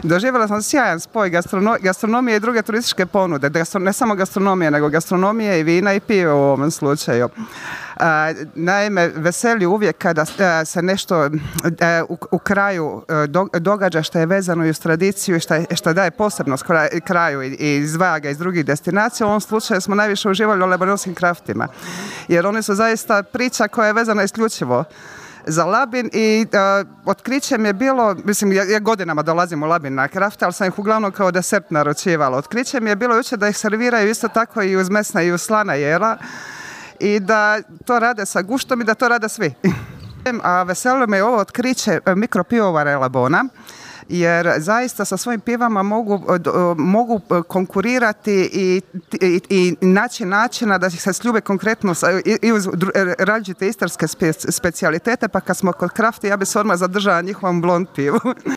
Doživjela sam sjajan spoj gastronomije i druge turističke ponude. Ne samo gastronomije, nego gastronomije i vina i pive u ovom slučaju. Naime, veseli uvijek kada se nešto u kraju događa što je vezano i uz tradiciju i što daje posebnost kraju i izdvaja ga iz drugih destinacija. U ovom slučaju smo najviše uživali u lebanonskim kraftima, jer oni su zaista priča koja je vezana isključivo za Labin i otkriće mi je bilo, mislim, ja godinama dolazim u Labin na krafte, ali sam ih uglavnom kao desert naručivala. Otkriće mi je bilo jučer da ih serviraju isto tako i uz mesna i uz slana jela i da to rade sa guštom i da to rade svi. A veselilo me ovo otkriće mikropivovare Labona, jer zaista sa svojim pivama mogu konkurirati i naći načina da se sljube konkretno i uz različite istarske specijalitete, pa kad smo kod krafti ja bi se odmah zadržala njihovom blond pivu.